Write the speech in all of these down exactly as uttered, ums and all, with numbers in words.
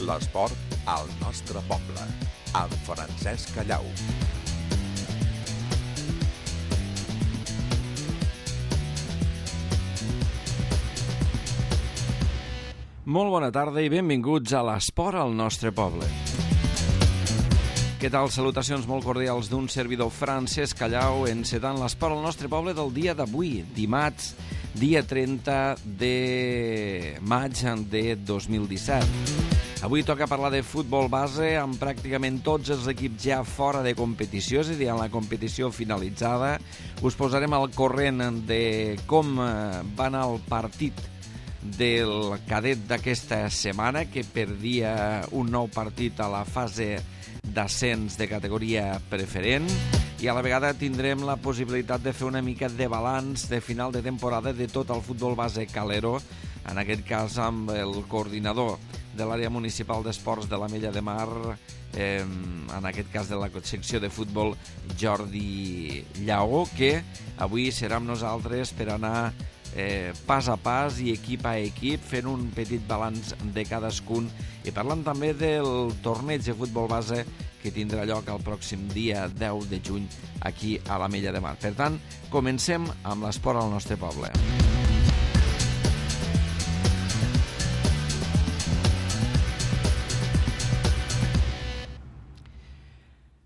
L'esport al nostre poble, amb Francesc Callau. Molt bona tarda i benvinguts a l'esport al nostre poble. Què tal? Salutacions molt cordials d'un servidor Francesc Callau, encetant l'esport al nostre poble del dia d'avui, dimarts, dia trenta de maig de dos mil disset. Avui toca parlar de futbol base amb pràcticament tots els equips ja fora de competició, és a dir, en la competició finalitzada. Us posarem al corrent de com va anar el partit del cadet d'aquesta setmana, que perdia un nou partit a la fase d'ascens de categoria preferent, i a la vegada tindrem la possibilitat de fer una mica de balanç de final de temporada de tot el futbol base calero, en aquest cas amb el coordinador de l'àrea municipal d'esports de l'Ametlla de Mar, eh, en aquest cas de la secció de futbol, Jordi Lleó, que avui serà amb nosaltres per anar Eh, pas a pas i equip a equip, fent un petit balanç de cadascun i parlant també del torneig de futbol base que tindrà lloc el pròxim dia deu de juny aquí a l'Ametlla de Mar. Per tant, comencem amb l'esport al nostre poble.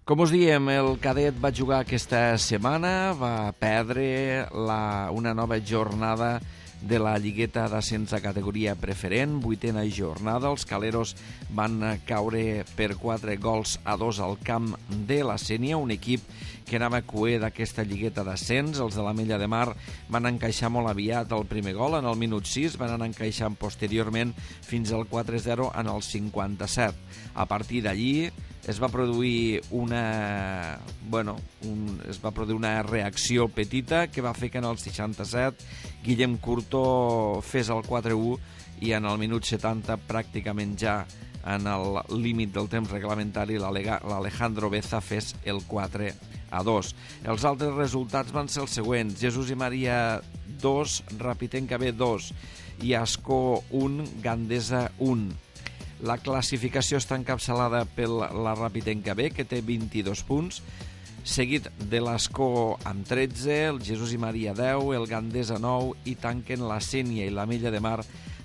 Com us diem, el cadet va jugar aquesta setmana, va perdre la, una nova jornada de la lligueta d'ascens a categoria preferent, vuitena jornada. Els caleros van caure per quatre gols a dos al camp de la Sénia, un equip que anava cuer d'aquesta lligueta d'ascens. Els de l'Ametlla de Mar van encaixar molt aviat el primer gol en el minut sis, van anar encaixant posteriorment fins al quatre zero en el cinquanta-set. A partir d'allí es va produir una bueno, un, es va produir una reacció petita que va fer que en el seixanta-set Guillem Curto fes el quatre u i en el minut setanta, pràcticament ja en el límit del temps reglamentari, l'Alejandro Beza fes el quatre a dos. Els altres resultats van ser els següents: Jesús i Maria dos, Rapitenca B dos, Iascó un, Gandesa un. La classificació està encapçalada per la Rapitenca B, que té vint-i-dos punts, seguit de l'Escó amb tretze, el Jesús i Maria deu, el Gandesa nou, i tanquen la Sénia i l'Ametlla de Mar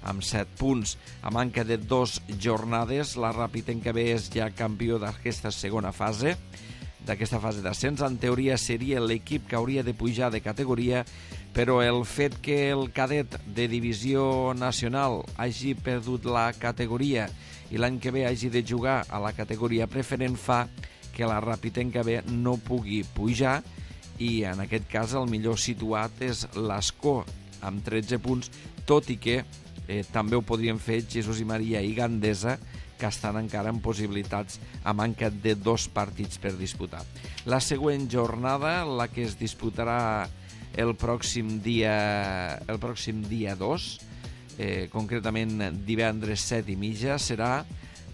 amb set punts. A manca de dos jornades, la Rapitenca B és ja campió d'aquesta segona fase, d'aquesta fase d'ascens. En teoria seria l'equip que hauria de pujar de categoria, però el fet que el cadet de divisió nacional hagi perdut la categoria i l'any que ve hagi de jugar a la categoria preferent fa que la Rapitenca B no pugui pujar, i en aquest cas el millor situat és l'Escó amb tretze punts, tot i que eh, també ho podrien fer Jesús i Maria i Gandesa, que estan encara en possibilitats a manca de dos partits per disputar. La següent jornada, la que es disputarà el pròxim dia el pròxim dia dos, eh, concretament divendres set i mitja, serà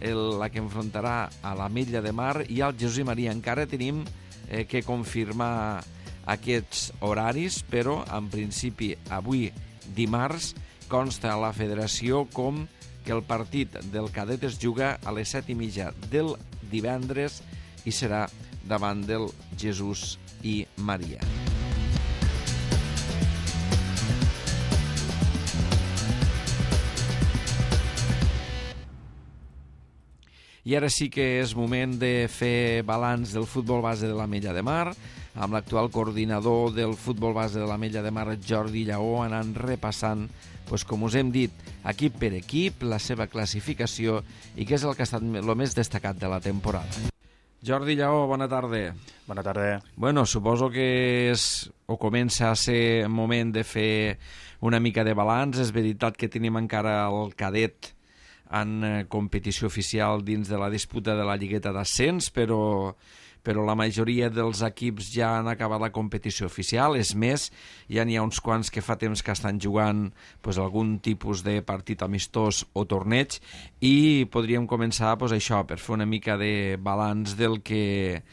el, la que enfrontarà a l'Ametlla de Mar i al Jesús i Maria. Encara tenim eh, que confirmar aquests horaris, però en principi avui dimarts consta a la federació com que el partit del cadet es juga a les set i mitja del divendres i serà davant del Jesús i Maria. I ara sí que és moment de fer balanç del futbol base de l'Ametlla de Mar, amb l'actual coordinador del futbol base de l'Ametlla de Mar, Jordi Lleó, anant repassant, doncs, com us hem dit, equip per equip, la seva classificació i què és el que ha estat el més destacat de la temporada. Jordi Lleó, bona tarda. Bona tarda. Bueno, suposo que és, o comença a ser moment de fer una mica de balanç. És veritat que tenim encara el cadet en competició oficial dins de la disputa de la lligueta d'ascens, però, però la majoria dels equips ja han acabat la competició oficial. És més, ja n'hi ha uns quants que fa temps que estan jugant pues, algun tipus de partit amistós o torneig, i podríem començar pues, això, per fer una mica de balanç del que,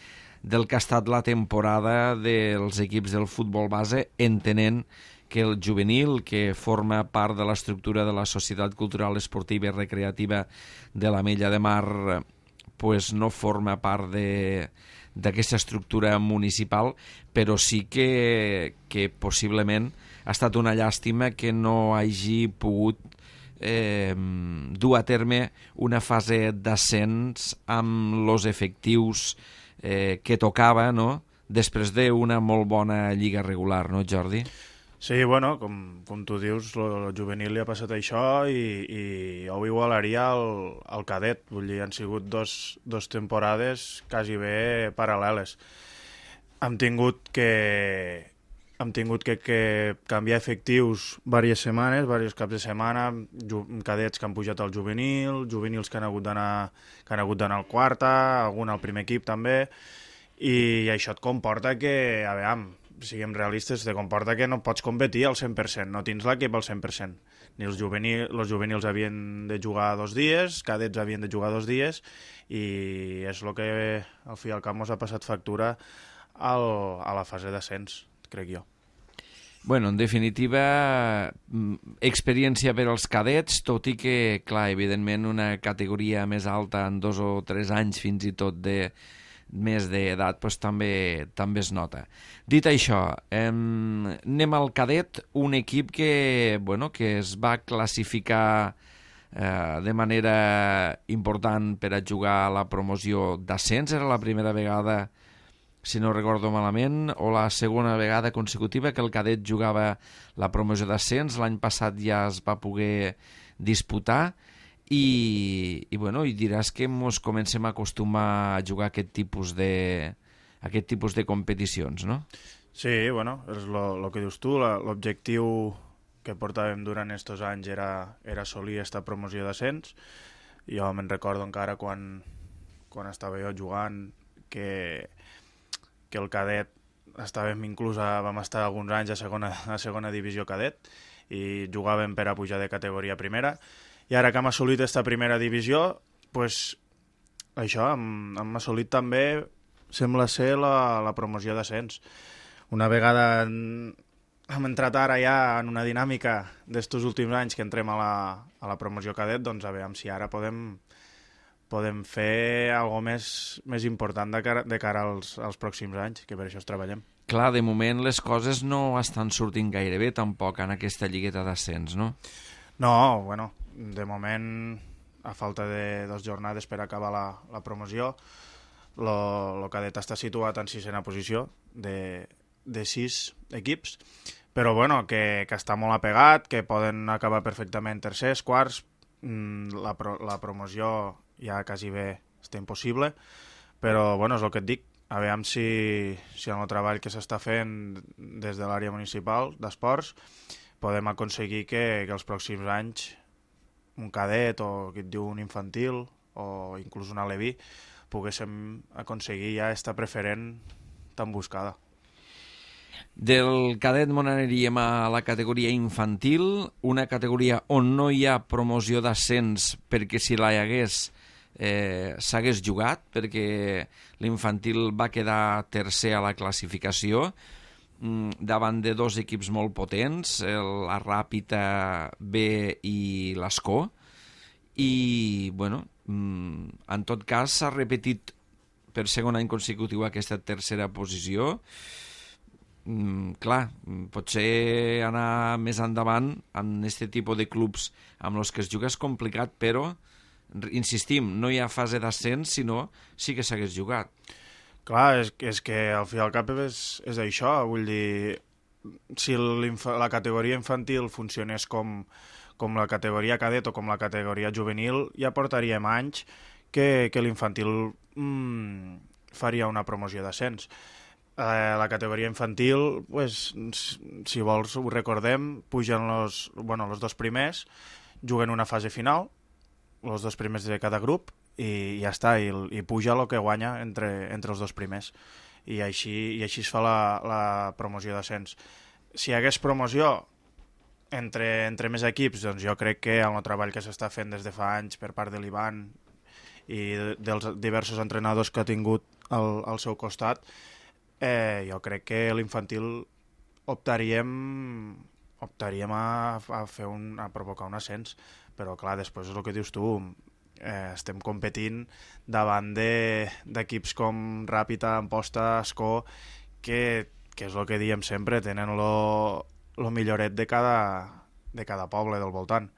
del que ha estat la temporada dels equips del futbol base, entenent que el juvenil, que forma part de l'estructura de la Societat Cultural Esportiva i Recreativa de l'Ametlla de Mar, pues no forma part de d'aquesta estructura municipal, però sí que, que possiblement ha estat una llàstima que no hagi pogut eh, dur a terme una fase d'ascens amb els efectius eh, que tocava, no?, després d'una molt bona lliga regular, no, Jordi? Sí, bueno, com, com tu dius, el juvenil li ha passat això i, i ho igualaria al, al cadet. Vull dir, han sigut dos, dos temporades quasi bé paral·leles. Hem tingut que, hem tingut que, que canviar efectius diverses setmanes, diversos caps de setmana, ju, cadets que han pujat al juvenil, juvenils que han hagut d'anar que han hagut d'anar al quarta, algun al primer equip també, i això et comporta que, a veure, siguem realistes, te comporta que no pots competir al cent per cent, no tens l'equip al cent per cent. Ni els juvenils, els juvenils havien de jugar dos dies, cadets havien de jugar dos dies, i és el que al fi i al cap mos ha passat factura al, a la fase d'ascens, crec jo. Bueno, en definitiva, experiència per als cadets, tot i que, clar, evidentment una categoria més alta en dos o tres anys fins i tot de més d'edat, doncs també, també es nota. Dit això, eh, anem al cadet, un equip que, bueno, que es va classificar eh, de manera important per a jugar a la promoció d'ascens. Era la primera vegada, si no recordo malament, o la segona vegada consecutiva que el cadet jugava la promoció d'ascens. L'any passat ja es va poder disputar. I, i, bueno, i diràs que ens comencem a acostumar a jugar aquest tipus de, aquest tipus de competicions, no? Sí, bueno, és el que dius tu, l'objectiu que portàvem durant aquests anys era, era assolir aquesta promoció d'ascens. Jo me'n recordo encara quan, quan estava jo jugant que, que el cadet estàvem inclús a, vam estar alguns anys a segona, a segona divisió cadet i jugàvem per a pujar de categoria primera. I ara que hem assolit aquesta primera divisió, pues, això, hem, hem assolit també, sembla ser, la, la promoció d'ascens. Una vegada en, hem entrat ara ja en una dinàmica d'estos últims anys que entrem a la, a la promoció cadet, doncs a veure si ara podem, podem fer alguna més, més important de cara, de cara als, als pròxims anys, que per això es treballem. Clar, de moment les coses no estan sortint gaire bé tampoc en aquesta lligueta d'ascens, no? No, bueno, de moment, a falta de dues jornades per acabar la, la promoció, el cadet està situat en sisena posició de, de sis equips, però bueno, que, que està molt apegat, que poden acabar perfectament tercers, quarts, la, pro, la promoció ja quasi bé està impossible, però bueno, és el que et dic, a veure si, si en el treball que s'està fent des de l'àrea municipal d'esports podem aconseguir que, que els pròxims anys un cadet o que et diu un infantil o inclús un aleví poguéssim aconseguir ja esta preferent tan buscada. Del cadet mos aniríem a la categoria infantil, una categoria on no hi ha promoció d'ascens perquè si la hi hagués eh, s'hagués jugat, perquè l'infantil va quedar tercer a la classificació davant de dos equips molt potents, la Ràpita B i l'Escó, i bueno, en tot cas s'ha repetit per segon any consecutiu aquesta tercera posició. Clar, potser anar més endavant en aquest tipus de clubs amb els que es juga és complicat, però insistim, no hi ha fase d'ascens, sinó sí que s'hagués jugat. Clar, és, és que al fi al cap és, és això, vull dir, si la categoria infantil funcionés com, com la categoria cadet o com la categoria juvenil, ja portaríem anys que, que l'infantil mmm, faria una promoció d'ascens. Eh, la categoria infantil, pues, si vols ho recordem, pugen els, bueno, els dos primers, juguen una fase final, els dos primers de cada grup, i ja està, i, i puja el que guanya entre, entre els dos primers. I així, i així es fa la, la promoció d'ascens. Si hi hagués promoció entre, entre més equips, doncs jo crec que el treball que s'està fent des de fa anys per part de l'Ivan i dels diversos entrenadors que ha tingut al, al seu costat, eh, jo crec que l'infantil optaríem optaríem a, a fer un, a provocar un ascens, però clar, després és el que dius tu, eh, estem competint davant d'equips de, com Ràpita, Amposta, Escó, que, que és el que diem sempre, tenen lo, lo milloret de cada, de cada poble del voltant.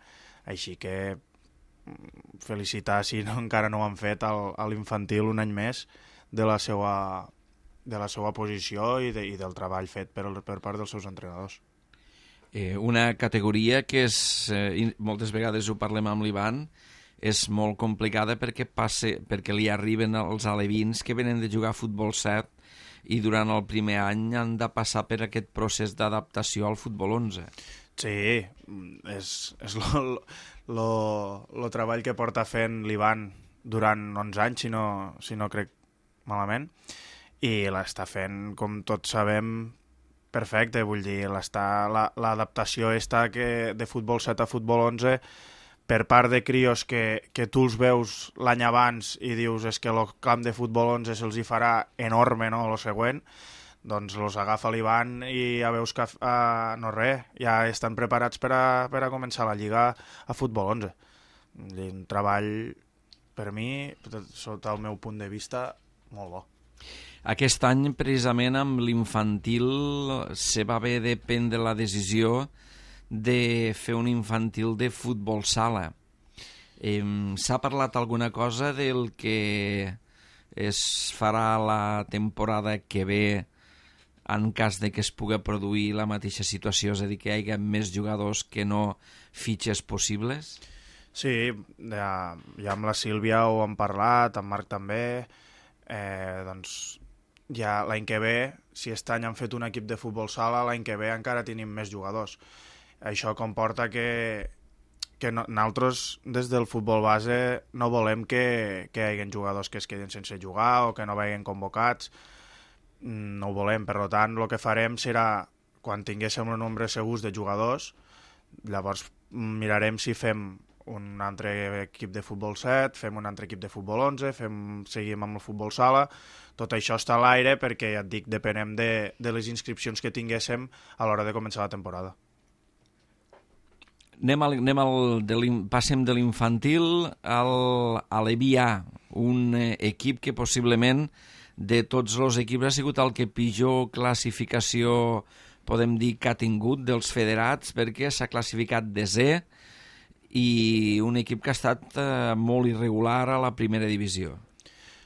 Així que felicitar, si no, encara no ho han fet, al, a l'infantil un any més de la seva, de la seva posició i, de, i del treball fet per, per part dels seus entrenadors. Eh, una categoria que és, eh, moltes vegades ho parlem amb l'Ivan, és molt complicada perquè, passe, perquè li arriben els alevins que venen de jugar a futbol set i durant el primer any han de passar per aquest procés d'adaptació al futbol onze. Sí, és, és lo, lo, lo treball que porta fent l'Ivan durant onze anys, si no, si no crec malament, i l'està fent, com tots sabem, perfecte. Vull dir, l'adaptació esta que de futbol set a futbol onze per part de crios que, que tu els veus l'any abans i dius és que el camp de futbol onze se'ls hi farà enorme, no?, el següent, doncs els agafa l'Ivan i ja veus que uh, no res, ja estan preparats per a, per a començar la lliga a futbol onze. Un treball, per mi, sota el meu punt de vista, molt bo. Aquest any, precisament, amb l'infantil se va haver de prendre la decisió de fer un infantil de futbol sala. Eh, S'ha parlat alguna cosa del que es farà la temporada que ve en cas de que es pugui produir la mateixa situació, és a dir, que hi hagi més jugadors que no fitxes possibles? Sí, ja, ja amb la Sílvia ho hem parlat, amb Marc també, eh, doncs ja l'any que ve, si aquest any han fet un equip de futbol sala, l'any que ve encara tenim més jugadors. Això comporta que, que no, nosaltres des del futbol base no volem que, que hi hagi jugadors que es quedin sense jugar o que no vagin convocats. No ho volem, per tant, el que farem serà, quan tinguéssim un nombre segurs de jugadors, llavors mirarem si fem un altre equip de futbol set, fem un altre equip de futbol onze, fem, seguim amb el futbol sala. Tot això està a l'aire perquè, ja et dic, depenem de, de les inscripcions que tinguéssim a l'hora de començar la temporada. Anem al, anem al de passem de l'infantil al, a l'E B A, un eh, equip que possiblement de tots els equips ha sigut el que pitjor classificació podem dir que ha tingut dels federats, perquè s'ha classificat desè i un equip que ha estat eh, molt irregular a la primera divisió.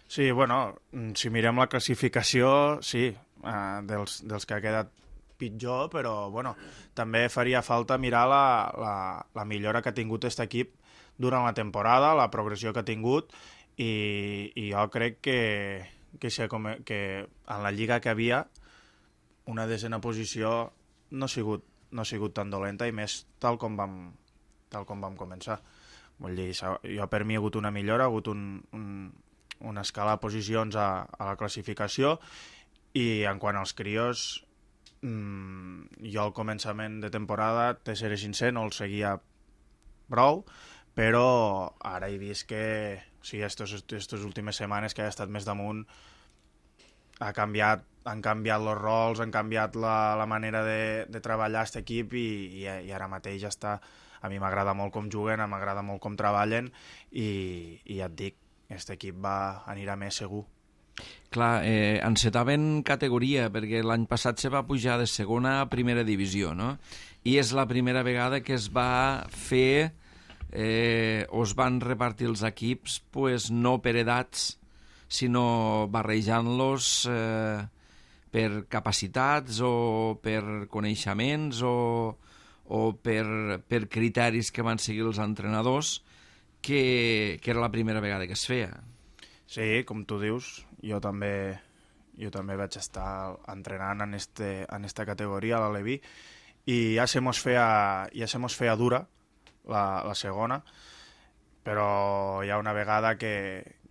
Sí, bueno, si mirem la classificació, sí, eh, dels, dels que ha quedat pitjor, però bueno, també faria falta mirar la, la, la millora que ha tingut aquest equip durant la temporada, la progressió que ha tingut, i, i jo crec que, que, que en la lliga que havia una desena posició no ha sigut, no ha sigut tan dolenta, i més tal com vam, tal com vam començar. Vull dir, jo per mi ha hagut una millora, ha hagut un, un, una escala de posicions a, a la classificació, i en quant als crios, mmm, jo al començament de temporada, te seré sincer, no el seguia prou, però ara he vist que o sigui, aquestes últimes setmanes que ha estat més damunt, ha canviat, han canviat els rols, han canviat la, la manera de, de treballar aquest equip, i, i, i ara mateix ja està. A mi m'agrada molt com juguen, m'agrada molt com treballen, i, i ja et dic, aquest equip va, anirà més segur. Clar, eh, encetaven categoria, perquè l'any passat se va pujar de segona a primera divisió, no? I és la primera vegada que es va fer, eh, o es van repartir els equips, pues, no per edats, sinó barrejant-los eh, per capacitats o per coneixements o, o per, per criteris que van seguir els entrenadors, que, que era la primera vegada que es feia. Sí, com tu dius, jo també, jo també vaig estar entrenant en, este, en esta categoria, a l'Aleví, i ja se mos feia, ja se mos feia dura la, la segona, però hi ha una vegada que,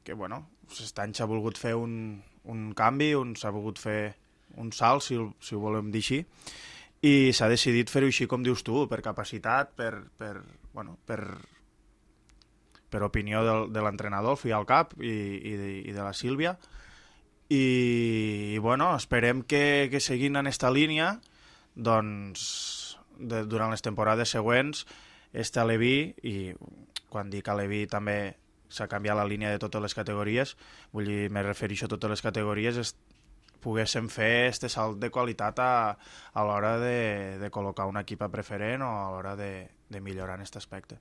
que bueno, aquest any s'ha volgut fer un, un canvi, un, s'ha volgut fer un salt, si, si ho volem dir així, i s'ha decidit fer-ho així com dius tu, per capacitat, per, per, bueno, per, per opinió del, de l'entrenador, el fill al cap, i, i, de, i de la Sílvia, i, i bueno, esperem que, que seguint en esta línia, doncs de, durant les temporades següents este Aleví, i quan dic Aleví també s'ha canviat la línia de totes les categories, vull dir, me refereixo a totes les categories, es, poguéssim fer este salt de qualitat a, a l'hora de, de col·locar un equip a preferent o a l'hora de, de millorar en aquest aspecte.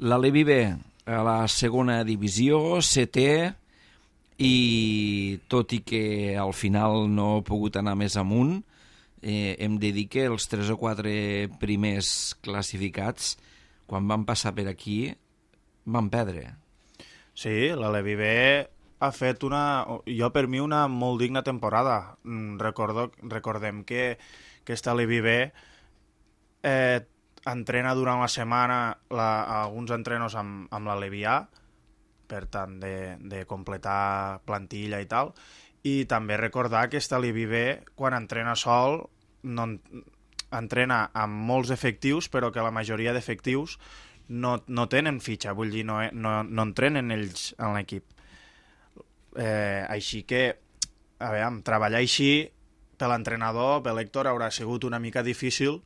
L'Aleví B, a la segona divisió, setè, i tot i que al final no he pogut anar més amunt, eh, hem de dir que els tres o quatre primers classificats, quan van passar per aquí, van perdre. Sí, l'Aleví B ha fet una, jo per mi, una molt digna temporada. Recordo, recordem que, que esta Aleví B eh, entrena durant la setmana la, alguns entrenos amb, amb l'Aleví A, per tant, de, de completar plantilla i tal, i també recordar que esta Aleví B, quan entrena sol, no, entrena amb molts efectius, però que la majoria d'efectius no, no tenen fitxa, vull dir, no, no, no entrenen ells en l'equip. Eh, així que, a veure, treballar així per l'entrenador, per l'Héctor, haurà sigut una mica difícil,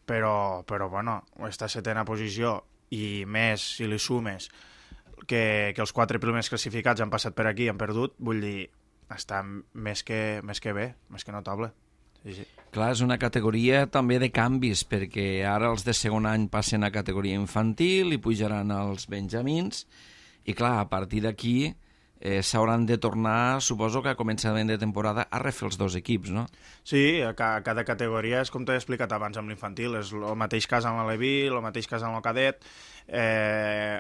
però, però bueno, aquesta setena posició, i més si li sumes que, que els quatre primers classificats han passat per aquí i han perdut, vull dir, està més que, més que bé, més que notable. Sí, sí. Clar, és una categoria també de canvis, perquè ara els de segon any passen a categoria infantil i pujaran als benjamins, i clar, a partir d'aquí eh, s'hauran de tornar, suposo que a començament de temporada, a refer els dos equips, no? Sí, a ca cada categoria és com t'he explicat abans amb l'infantil, és el mateix cas amb l'Aleví, el mateix cas amb el cadet. Eh,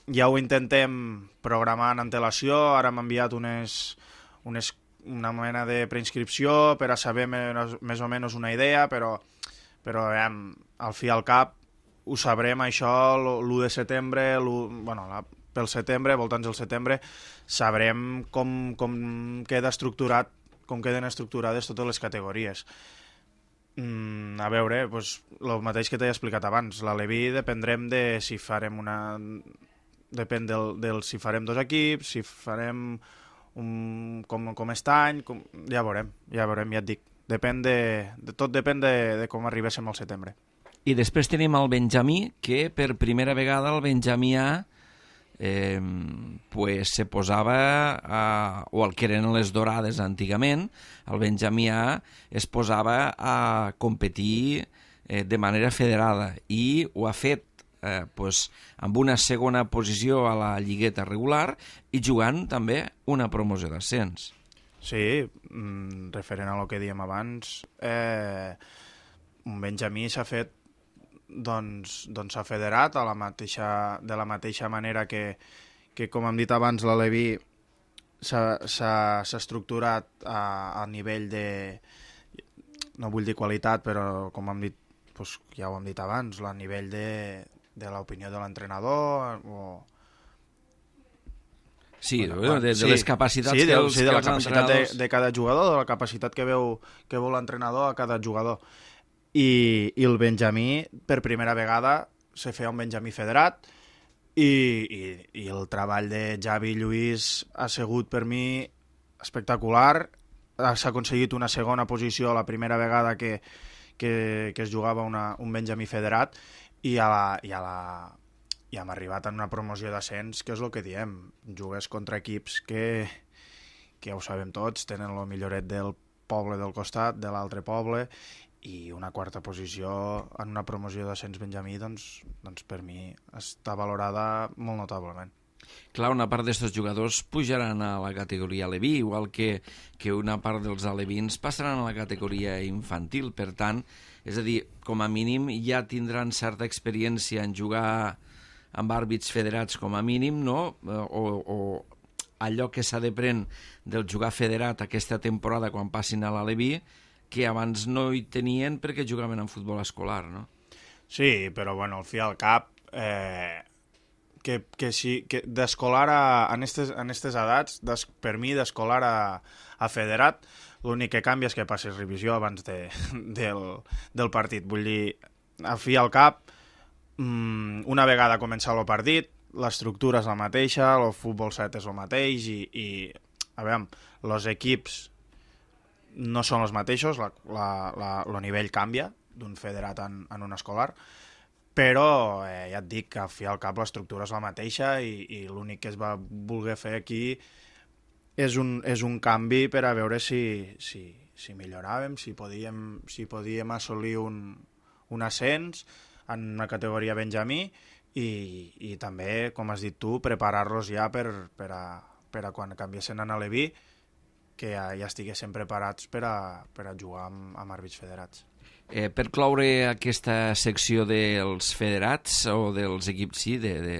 ja ho intentem programar en antelació, ara m'han enviat unes, unes, una mena de preinscripció per a saber més, més o menys una idea, però, però eh, al fi al cap ho sabrem això l'u de setembre, bueno, la, pel setembre, voltants del setembre, sabrem com, com queda estructurat, com queden estructurades totes les categories. Mm, a veure, doncs, el mateix que t'he explicat abans, l'Aleví dependrem de si farem una... Depèn del, del si farem dos equips, si farem un, com, com aquest any, com, ja veurem, ja veurem, ja et dic. Depèn de, de, tot depèn de, de com arribéssim al setembre. I després tenim el Benjamí, que per primera vegada el Benjamí A eh, pues, se posava, a, o el que eren les dorades antigament, el Benjamí A es posava a competir eh, de manera federada, i ho ha fet Eh, pues, amb una segona posició a la lligueta regular i jugant també una promoció d'ascens. Sí, mm, referent a el que dèiem abans, eh, un Benjamí s'ha fet, doncs, doncs s'ha federat a la mateixa, de la mateixa manera que, que com hem dit abans, l'Aleví s'ha estructurat a, a nivell de, no vull dir qualitat, però com hem dit, doncs, ja ho hem dit abans, a nivell de de l'opinió de l'entrenador o... Sí, bueno, de, de sí, les capacitats sí, que de, els, sí, de la capacitat entrenadors... de, de cada jugador, de la capacitat que veu, que veu l'entrenador a cada jugador. I, i el Benjamí, per primera vegada, se feia un Benjamí federat, i, i, i el treball de Javi i Lluís ha sigut per mi espectacular. S'ha aconseguit una segona posició la primera vegada que, que, que es jugava una, un Benjamí federat, i, a la, i, a la, i hem arribat en una promoció d'ascens, que és el que diem, jugues contra equips que, que ja ho sabem tots, tenen el milloret del poble del costat, de l'altre poble, i una quarta posició en una promoció d'ascens Benjamí, doncs, doncs per mi està valorada molt notablement. Clar, una part d'aquests jugadors pujaran a la categoria Aleví, igual que, que una part dels alevins passaran a la categoria infantil. Per tant, és a dir, com a mínim ja tindran certa experiència en jugar amb àrbits federats com a mínim, no? O, o allò que s'ha de prendre del jugar federat aquesta temporada quan passin a l'Aleví, que abans no hi tenien perquè jugaven en futbol escolar, no? Sí, però bueno, al fi al cap... Eh... que, que, sí, que d'escolar a, en aquestes en estes edats, des, per mi d'escolar a, a federat, l'únic que canvia és que passes revisió abans de, del, del partit. Vull dir, al fi al cap, mmm, una vegada comença el partit, l'estructura és la mateixa, el futbol set és el mateix, i, i a veure, els equips no són els mateixos, la, la, la, el nivell canvia, d'un federat en, en un escolar, però eh, ja et dic que al fi al cap l'estructura és la mateixa i, i l'únic que es va voler fer aquí és un, és un canvi per a veure si, si, si milloràvem, si podíem, si podíem assolir un, un ascens en una categoria benjamí i, i també, com has dit tu, preparar-los ja per, per, a, per a quan canviessin a Aleví, que ja, ja estiguessin preparats per a, per a jugar amb, amb àrbits federats. Eh, per cloure aquesta secció dels federats o dels equips, sí, de, de,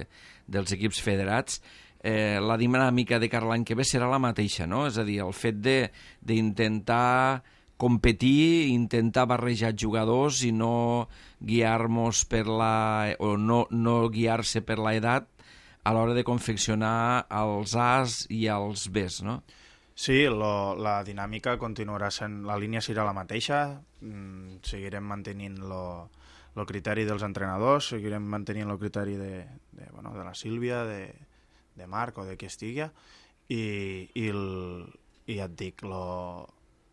dels equips federats, eh, la dinàmica de cara l'any que ve serà la mateixa, no? És a dir, el fet d'intentar competir, intentar barrejar jugadors i no guiar-nos per la... o no, no guiar-se per l'edat a l'hora de confeccionar els As i els Bs, no? Sí, lo, la dinàmica continuarà sent... La línia serà la mateixa, mm, seguirem mantenint el criteri dels entrenadors, seguirem mantenint el criteri de, de, bueno, de la Sílvia, de, de Marc o de qui estigui, i, i, el, i ja et dic, lo,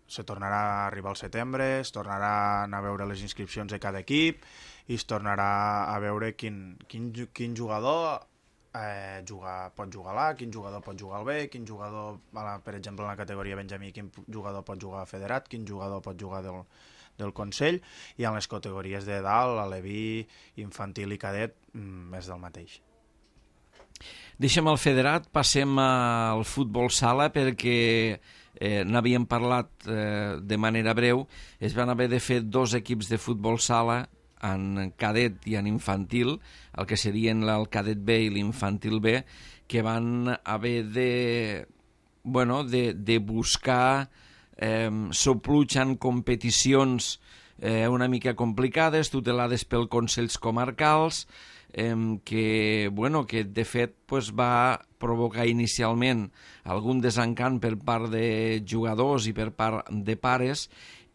se tornarà a arribar al setembre, es tornarà a anar a veure les inscripcions de cada equip i es tornarà a veure quin, quin, quin jugador... Eh, jugar, pot jugar a l'A, quin jugador pot jugar al B, quin jugador, per exemple, en la categoria benjamí, quin jugador pot jugar a federat, quin jugador pot jugar del, del Consell, i en les categories de dalt, aleví, infantil i cadet, més del mateix. Deixem el federat, passem al futbol sala perquè eh, n'havíem parlat eh, de manera breu. Es van haver de fer dos equips de futbol sala en cadet i en infantil, el que serien el cadet B i l'infantil B, que van haver de, bueno, de, de buscar eh, sopluig en competicions eh, una mica complicades, tutelades pel Consells Comarcals, eh, que, bueno, que de fet pues, va provocar inicialment algun desencant per part de jugadors i per part de pares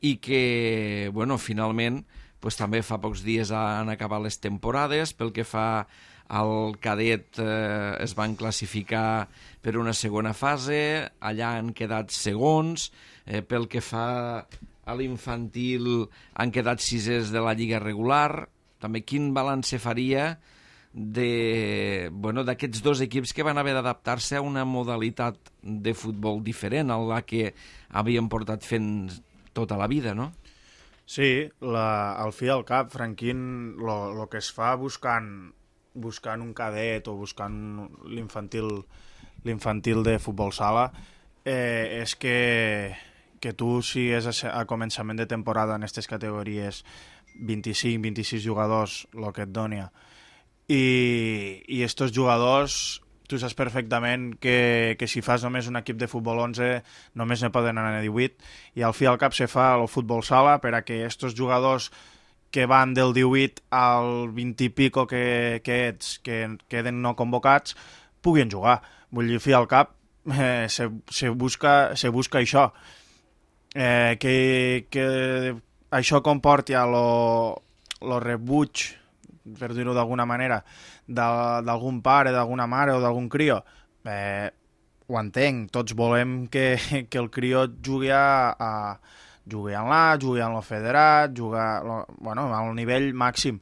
i que, bueno, finalment pues també fa pocs dies han acabat les temporades. Pel que fa al cadet eh, es van classificar per una segona fase, allà han quedat segons, eh, pel que fa a l'infantil han quedat sisers de la lliga regular. També quin balanç se faria de, bueno, d'aquests dos equips que van haver d'adaptar-se a una modalitat de futbol diferent a la que havien portat fent tota la vida, no? Sí, la, al fi al cap, Franquín, el que es fa buscant, buscant un cadet o buscant l'infantil l'infantil de futbol sala eh, és que, que tu sigues a, a començament de temporada en aquestes categories vint-i-cinc vint-i-sis jugadors, el que et doni, i, i estos jugadors tu saps perfectament que, que si fas només un equip de futbol onze només ne poden anar a divuit, i al fi al cap se fa el futbol sala per a que estos jugadors que van del divuit al vint i pico que, que ets, que queden no convocats, puguin jugar. Vull dir, al fi al cap eh, se, se, busca, se busca això. Eh, que, que això comporti a lo, lo rebuig, per dir-ho d'alguna manera, d'algun pare, d'alguna mare o d'algun crio, eh, ho entenc, tots volem que, que el crio jugui a, a jugui en l'A, jugui en el federat, jugui lo, bueno, al nivell màxim,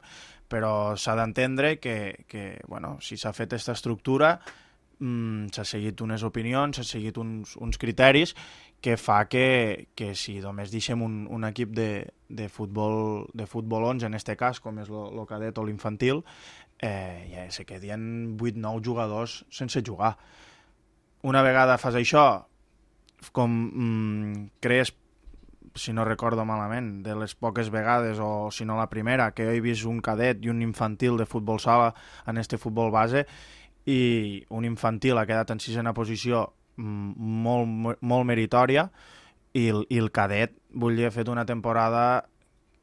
però s'ha d'entendre que, que bueno, si s'ha fet aquesta estructura mmm, s'ha seguit unes opinions, s'ha seguit uns, uns criteris que fa que, que si només deixem un, un equip de, de, futbol, de futbol onze, en aquest cas, com és el cadet o l'infantil, eh, ja se quedien vuit nou jugadors sense jugar. Una vegada fas això, com mm, crees, si no recordo malament, de les poques vegades, o si no la primera, que he vist un cadet i un infantil de futbol sala en este futbol base, i un infantil ha quedat en sisena posició molt, molt meritòria, i el, i el cadet, vull dir, ha fet una temporada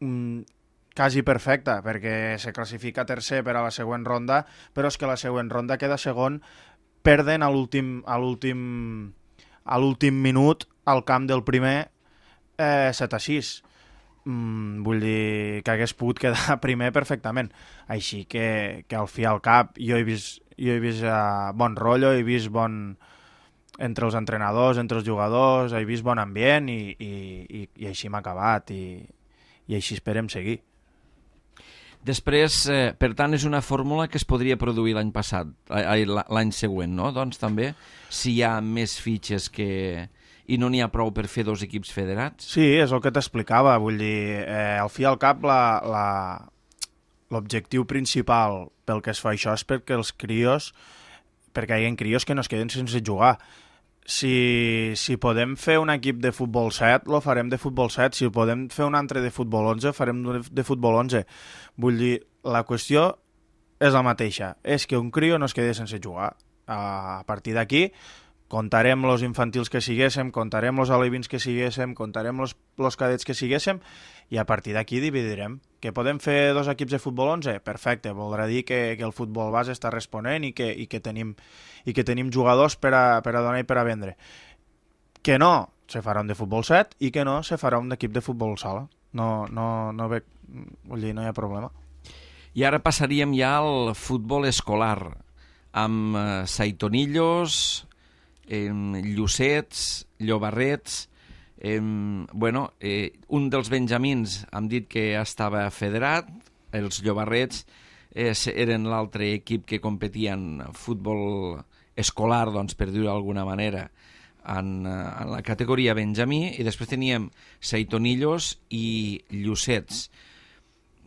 mm, quasi perfecta, perquè se classifica tercer per a la següent ronda, però és que la següent ronda queda segon, perden a l'últim a l'últim a l'últim minut al camp del primer eh, set a sis. Mm, vull dir que hagués pogut quedar primer perfectament. Així que, que al fi al cap jo he vist, jo he vist uh, bon rotllo, he vist bon entre els entrenadors, entre els jugadors, he vist bon ambient i, i, i, i així m'ha acabat i, i així esperem seguir. Després, eh, per tant, és una fórmula que es podria produir l'any passat, l'any següent, no? Doncs també, si hi ha més fitxes que... i no n'hi ha prou per fer dos equips federats? Sí, és el que t'explicava, vull dir, eh, al fi i al cap la, la, l'objectiu principal pel que es fa això és perquè els crios, perquè hi ha crios que no es queden sense jugar. Si, si podem fer un equip de futbol set, lo farem de futbol set. Si podem fer un altre de futbol onze, farem de futbol onze. Vull dir, la qüestió és la mateixa. És que un crio no es quedi sense jugar. A partir d'aquí, contarem els infantils que siguéssim, contarem els alevins que siguéssim, contarem els cadets que siguéssim, i a partir d'aquí dividirem. Que podem fer dos equips de futbol onze? Perfecte, voldrà dir que, que el futbol base està responent i que, i que, tenim, i que tenim jugadors per a, per a donar i per a vendre. Que no, se farà un de futbol set, i que no, se farà un equip de futbol sala. No, no, no, ve, vull dir, no hi ha problema. I ara passaríem ja al futbol escolar, amb eh, Saitonillos, eh, Llucets, Llobarrets... Eh, bueno, eh, un dels benjamins hem dit que estava federat, els Llobarrets eh, eren l'altre equip que competia en futbol escolar, doncs, per dir-ho d'alguna manera, en, en la categoria benjamí, i després teníem Saitonillos i Llucets.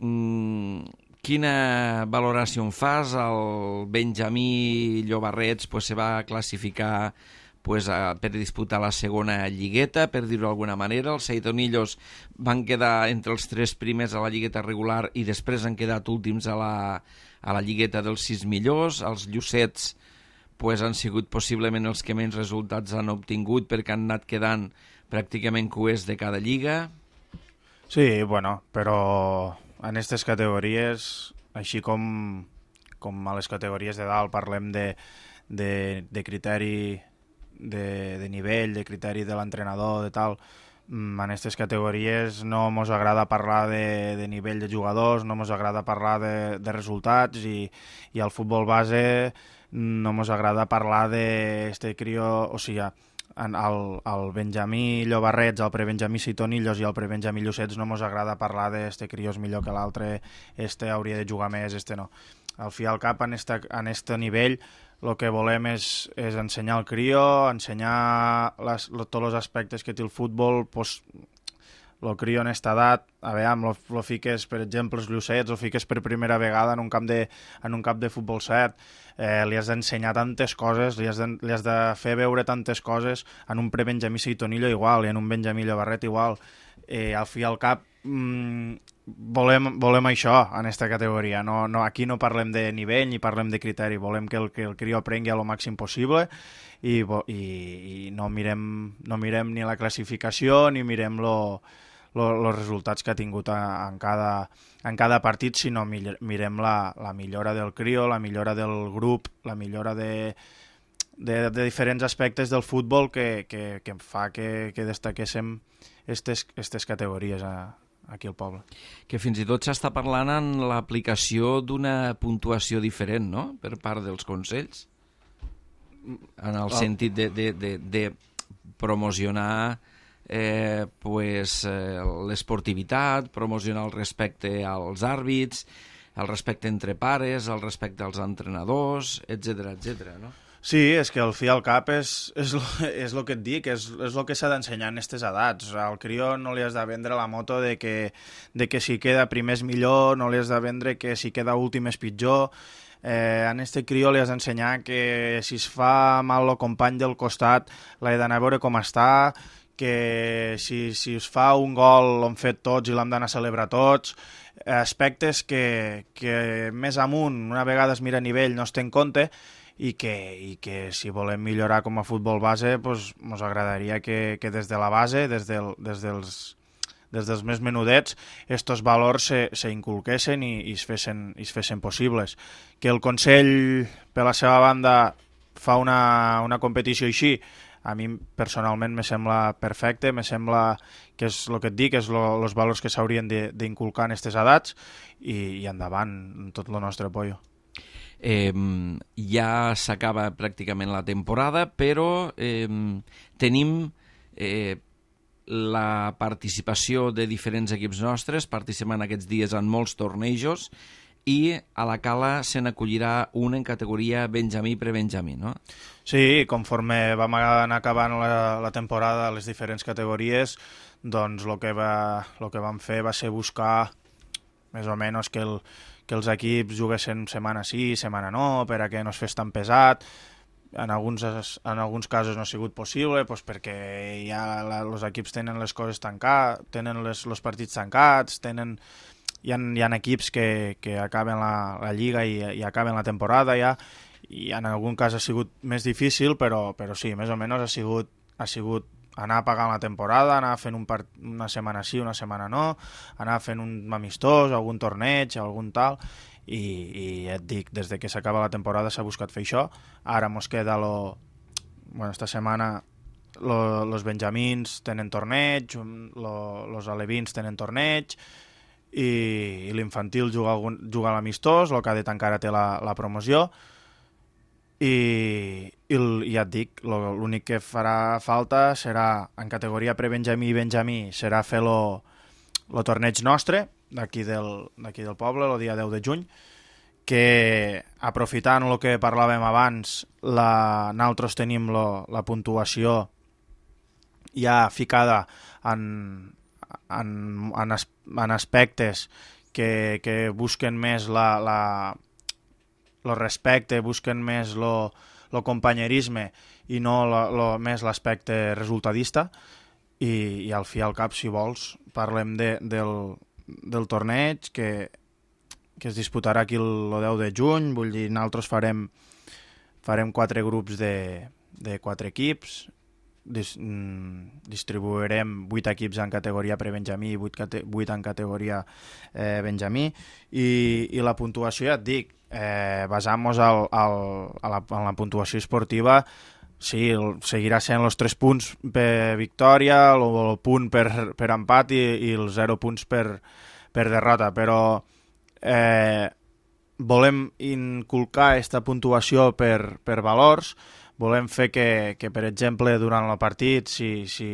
Mm, quina valoració en fas? El benjamí Llobarrets pues, se va classificar pues, a, per disputar la segona lligueta, per dir-ho d'alguna manera. Els Saitonillos van quedar entre els tres primers a la lligueta regular i després han quedat últims a la, a la lligueta dels sis millors. Els Llucets pues, han sigut possiblement els que menys resultats han obtingut perquè han anat quedant pràcticament cuers de cada lliga. Sí, bueno, però en aquestes categories, així com, com a les categories de dalt parlem de, de, de criteri De, de nivell, de criteri de l'entrenador, de tal, en aquestes categories no mos agrada parlar de, de nivell de jugadors, no mos agrada parlar de, de resultats, i, i al futbol base no mos agrada parlar d'este crio, o sigui, el, el Benjamí Llobarrets, el prebenjamí Saitonillos i el prebenjamí Llucets no mos agrada parlar d'este crio és millor que l'altre, este hauria de jugar més, este no. Al fi i al cap, en este, en este nivell, el que volem és, és ensenyar al crio, ensenyar les, tots els aspectes que té el futbol, pues, el crio en aquesta edat, a veure, lo, lo fiques, per exemple, els Llucets, lo fiques per primera vegada en un camp de, en un camp de futbol set, eh, li has d'ensenyar tantes coses, li has, de, li has de fer veure tantes coses, en un prebenjamí Saitonillo igual, i en un benjamí Llobarret igual, eh, al fi i al cap, mmm, volem, volem això en aquesta categoria. No, no, aquí no parlem de nivell ni parlem de criteri, volem que el, que el crio aprengui el màxim possible i, i, i no, mirem, no mirem ni la classificació ni mirem els resultats que ha tingut a, en, cada, en cada partit, sinó mirem la, la millora del crio, la millora del grup, la millora de, de, de diferents aspectes del futbol que, que, que fa que, que destaquéssim aquestes categories a, aquí al poble. Que fins i tot s'està parlant en l'aplicació d'una puntuació diferent, no?, per part dels consells, en el oh. sentit de, de, de, de promocionar eh, pues, eh, l'esportivitat, promocionar el respecte als àrbits, el respecte entre pares, el respecte als entrenadors, etcètera, etcètera, no? Sí, és que al fi al cap és, és, és el que et dic, és, és el que s'ha d'ensenyar en aquestes edats. Al crió no li has de vendre la moto de que, de que si queda primer és millor, no li has de vendre que si queda últim és pitjor. Eh, en este crió li has d'ensenyar que si es fa mal el company del costat l'ha d'anar a veure com està, que si, si es fa un gol l'hem fet tots i l'hem d'anar a celebrar tots, aspectes que, que més amunt, una vegada es mira a nivell, no es té en compte, i que, i que si volem millorar com a futbol base, pues, ens agradaria que, que des de la base, des, del, des, dels, des dels més menudets, estos valors se, se inculquessin i, i, es fessin, i es fessin possibles. Que el Consell, per la seva banda, fa una, una competició així, a mi personalment me sembla perfecte, me sembla que és el que et dic, és els valors que s'haurien d'inculcar en aquestes edats, i, i endavant, tot el nostre apoyo. Eh, ja s'acaba pràcticament la temporada, però eh, tenim eh, la participació de diferents equips nostres, participem aquests dies en molts tornejos, i a la Cala se n'acollirà un en categoria Benjamí pre-Benjamí, no? Sí, conforme vam anar acabant la, la temporada a les diferents categories, doncs el que, va, lo que vam fer va ser buscar més o menys que, el, que els equips juguessin setmana sí, setmana no, per a que no es fes tan pesat. En alguns, en alguns casos no ha sigut possible, doncs perquè ja la, els equips tenen les coses tancades, tenen les, els partits tancats, tenen, hi ha, hi ha equips que, que acaben la, la lliga i, i acaben la temporada ja, i en algun cas ha sigut més difícil, però, però sí, més o menys ha sigut, ha sigut anar pagant la temporada, anar fent un part, una setmana sí, una setmana no, anar fent un amistós, algun torneig, algun tal, i, i ja et dic, des de que s'acaba la temporada s'ha buscat fer això. Ara mos queda lo... Bueno, esta setmana lo, los benjamins tenen torneig, lo, los alevins tenen torneig, i, i l'infantil juga, algun, juga a l'amistós, el cadet encara té la, la promoció, i, i ja et dic, l'únic que farà falta serà, en categoria pre-benjamí i benjamí, serà fer lo, lo torneig nostre, d'aquí del, d'aquí del poble, el dia deu de juny, que aprofitant el que parlàvem abans, la, nosaltres tenim lo, la puntuació ja ficada en, en, en, as, en aspectes que, que busquen més la, la, lo respecte, busquen més lo, lo companyerisme i no lo, lo, més l'aspecte resultadista, i, i al fi al cap, si vols, parlem de, del, del torneig que, que es disputarà aquí el deu de juny. Vull dir, nosaltres farem, farem quatre grups de, de quatre equips, Dis, mm, distribuirem vuit equips en categoria pre-benjamí i vuit, cate, vuit en categoria eh, benjamí, i, i la puntuació, ja et dic, eh, basant-nos al, al, a la, en la puntuació esportiva, sí, el, seguirà sent els tres punts per victòria, el, el punt per, per empat i, i els zero punts per, per derrota, però eh, volem inculcar aquesta puntuació per, per valors. Volem fer que, que, per exemple, durant el partit, si, si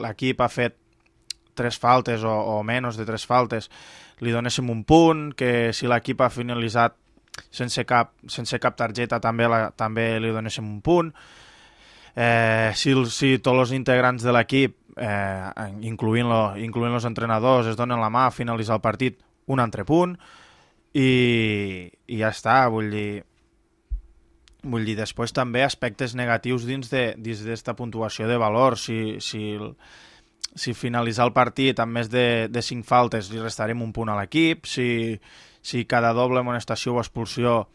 l'equip ha fet tres faltes o, o menys de tres faltes, li donéssim un punt, que si l'equip ha finalitzat sense cap, sense cap targeta també, la, també li donéssim un punt. Eh, si, si tots els integrants de l'equip, eh, incloent-lo, incloent els entrenadors, es donen la mà a finalitzar el partit, un altre punt, i, i ja està, vull dir... Vull dir, després també aspectes negatius dins d'aquesta puntuació de valor. Si, si, si finalitzar el partit amb més de, de cinc faltes li restarem un punt a l'equip, si, si cada doble amonestació o expulsió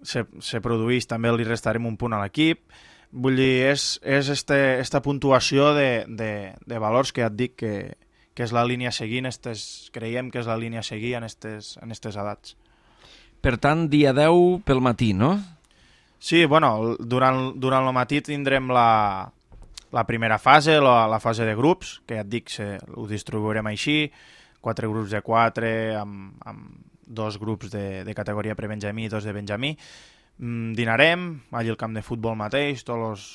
se, se produeix també li restarem un punt a l'equip. Vull dir, és, és este, esta puntuació de, de, de valors que ja et dic que, que és la línia a seguir, estes, creiem que és la línia a seguir en aquestes en estes edats. Per tant, dia deu pel matí, no? Sí, bueno, durant, durant el matí tindrem la, la primera fase, la, la fase de grups, que ja et dic, se, ho distribuirem així, quatre grups de quatre, amb, amb dos grups de, de categoria pre-benjamí i dos de benjamí. Mm, dinarem, allà al camp de futbol mateix, tots els,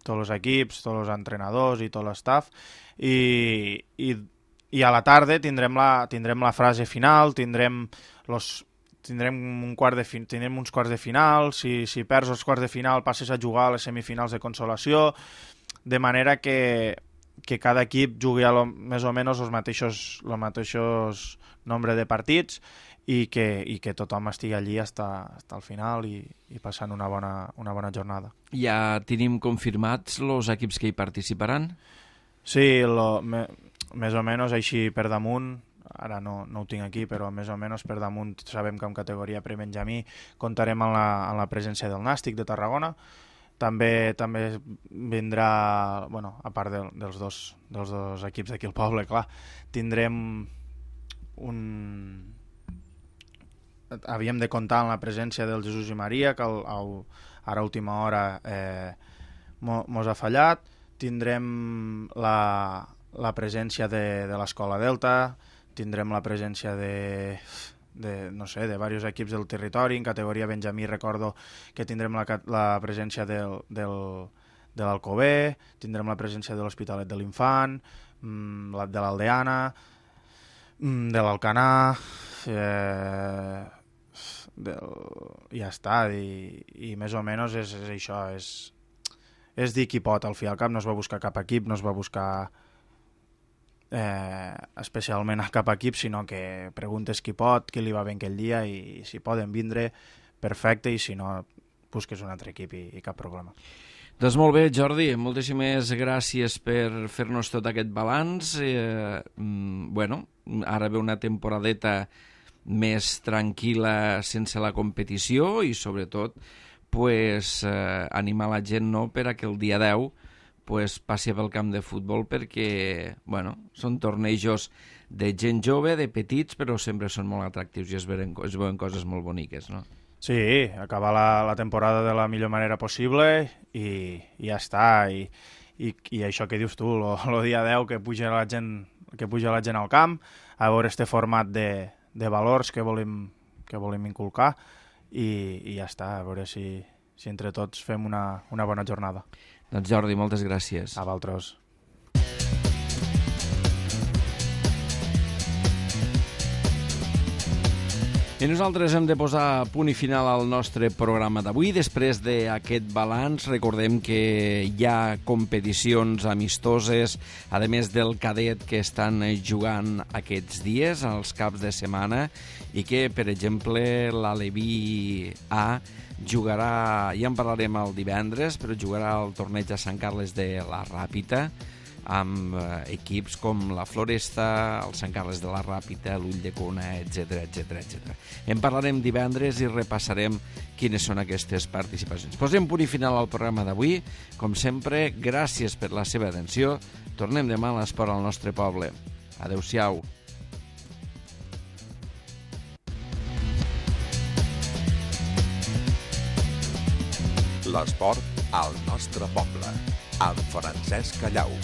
tots els equips, tots els entrenadors i tot l'estaf, i, i, i a la tarda tindrem la, tindrem la frase final, tindrem los... tindrem, un quart de fin... tindrem uns quarts de final, si, si perds els quarts de final passes a jugar a les semifinals de consolació, de manera que, que cada equip jugui a lo, més o menys els mateixos, els mateixos nombre de partits, i que, i que tothom estigui allí fins al final i, i passant una bona, una bona jornada. Ja tenim confirmats els equips que hi participaran? Sí, lo, me, més o menys així per damunt. Ara no, no ho tinc aquí, però més o menys per damunt sabem que en categoria pre-benjamí comptarem amb la, amb la presència del Nàstic de Tarragona. També també vindrà, bueno, a part de, dels, dos, dels dos equips d'aquí al poble, clar, tindrem un... Havíem de comptar amb la presència del Jesús i Maria, que el, el, ara a última hora eh, mos ha fallat. Tindrem la, la presència de, de l'Escola Delta, tindrem la presència de, de, no sé, de diversos equips del territori. En categoria benjamí recordo que tindrem la, la presència del, del, de l'Alcover, tindrem la presència de l'Hospitalet de l'Infant. mm, de l'Aldeana, mm, de l'Alcanar, eh, del... ja està, i, i més o menys és, és això, és, és dir qui pot, al fi al cap no es va buscar cap equip, no es va buscar eh, especialment a cap equip, sinó que preguntes qui pot, qui li va bé aquell dia, i si poden vindre, perfecte, i si no, busques un altre equip i, i cap problema. Doncs molt bé, Jordi, moltíssimes gràcies per fer-nos tot aquest balanç. Eh, bueno, ara ve una temporadeta més tranquil·la sense la competició i sobretot pues, eh, animar la gent no, per a que el dia deu pues, passi pel camp de futbol perquè bueno, són tornejos de gent jove, de petits, però sempre són molt atractius i es veuen, es veuen coses molt boniques, no? Sí, acabar la, la temporada de la millor manera possible i, i ja està. I, i, i això que dius tu, el dia deu que puja la gent que puja la gent al camp, a veure este format de, de valors que volem, que volem inculcar i, i ja està, a veure si, si entre tots fem una, una bona jornada. Doncs Jordi, moltes gràcies. A vosaltres. I nosaltres hem de posar punt i final al nostre programa d'avui. Després d'aquest balanç, recordem que hi ha competicions amistoses, a més del cadet que estan jugant aquests dies, als caps de setmana, i que, per exemple, l'Aleví A jugarà, ja en parlarem el divendres, però jugarà el torneig a Sant Carles de la Ràpita, amb eh, equips com la Floresta, el Sant Carles de la Ràpita, l'Ull de Cona, etcètera, etcètera, etcètera. En parlarem divendres i repassarem quines són aquestes participacions. Posem punt i final al programa d'avui. Com sempre, gràcies per la seva atenció. Tornem demà a l'esport al nostre poble. Adéu-siau. L'esport al nostre poble, amb Francesc Callau.